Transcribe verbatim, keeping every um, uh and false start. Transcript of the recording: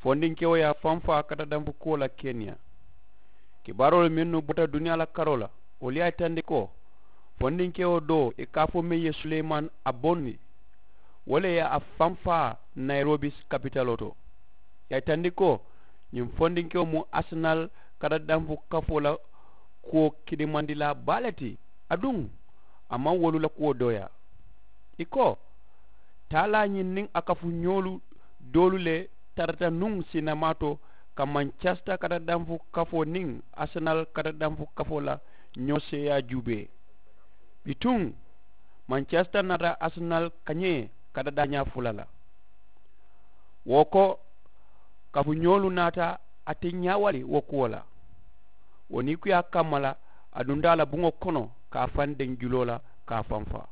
Fondinkewo ye a fanfaa katadanfu kuwo la keniya. Kibaaroolu mennu bota duniyaa la karoo la, wolu ye a yitandi ko fondinkewo doo ì ka a fo meŋ ye suleyimani a bondi, wo le ye a fanfaa nayirobi kapitaloo to. Ì ye a yitandi ko ñiŋ fondinkewo mu asenal katadanfu kafoo la kuwo kidimandilaa baa le ti. Aduŋ a maŋ wolu la kuwo dooyaa. Ì ko taalaa ñiŋ niŋ a kafuñoolu doolu le tarata nuŋ siinamaato ka mancasita katadanfu kafoo niŋ asenal katadanfu kafoo la ñoo seeyaa juubee. Bituŋ mancasita naata asenal kañee kata daañaa fula la. Wo ko kafuñoolu naata a ti ñaawali wo kuwo la. Wo niikuyaa kamma la a dunta a la buŋo kono ka a faŋ deŋ juloo la ka a faŋ faa.